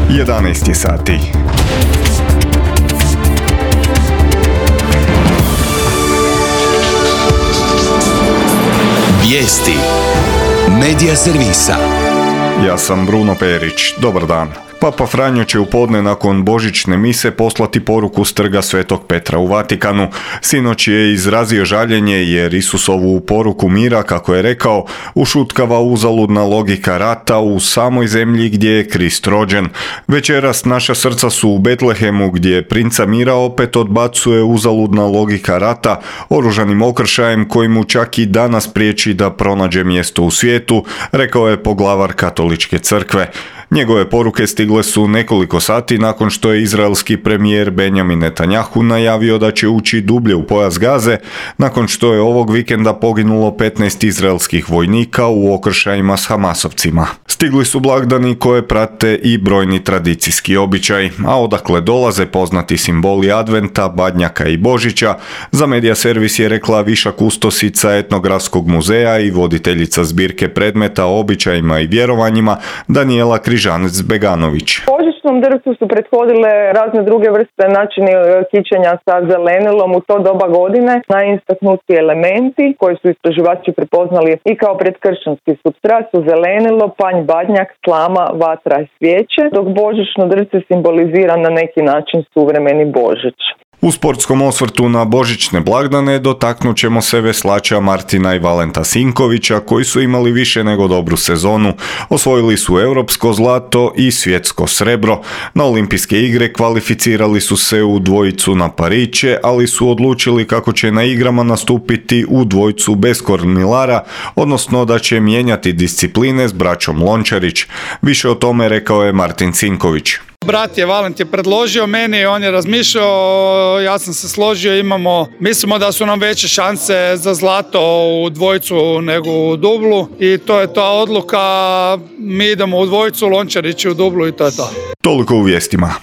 11 je sati. Vijesti Medija servisa. Ja sam Bruno Perić. Dobar dan. Papa Franjo će u podne nakon božićne mise poslati poruku s trga Svetog Petra u Vatikanu. Sinoć je izrazio žaljenje jer Isusovu poruku mira, kako je rekao, ušutkava uzaludna logika rata u samoj zemlji gdje je Krist rođen. Večeras naša srca su u Betlehemu gdje princa mira opet odbacuje uzaludna logika rata oružanim okršajem koji mu čak i danas priječi da pronađe mjesto u svijetu, rekao je poglavar Katoličke crkve. Njegove poruke stigle su nekoliko sati nakon što je izraelski premijer Benjamin Netanjahu najavio da će ući dublje u pojas Gaze, nakon što je ovog vikenda poginulo 15 izraelskih vojnika u okršajima s Hamasovcima. Stigli su blagdani koje prate i brojni tradicijski običaj, a odakle dolaze poznati simboli Adventa, Badnjaka i Božića, za Medija servis je rekla viša kustosica Etnografskog muzeja i voditeljica zbirke predmeta o običajima i vjerovanjima Danijela Križanec-Beganović. Božićnom drvcu su prethodile razne druge vrste načini kićenja sa zelenilom u to doba godine. Najistaknutiji elementi koji su istraživači prepoznali i kao predkršćanski supstrat su zelenilo, panj, badnjak, slama, vatra i svijeće, dok božićno drvce simbolizira na neki način suvremeni Božić. U sportskom osvrtu na božićne blagdane dotaknut ćemo se veslača Martina i Valenta Sinkovića koji su imali više nego dobru sezonu. Osvojili su europsko zlato i svjetsko srebro. Na olimpijske igre kvalificirali su se u dvojicu na pariće, ali su odlučili kako će na igrama nastupiti u dvojcu bez kormilara, odnosno da će mijenjati discipline s braćom Lončarić. Više o tome rekao je Martin Sinković. Brat je Valent je predložio meni, on je razmišljao, ja sam se složio, mislimo da su nam veće šanse za zlato u dvojcu nego u dublu i to je ta odluka, mi idemo u dvojcu, Lončarić u dublu i to je to. Toliko u vijestima.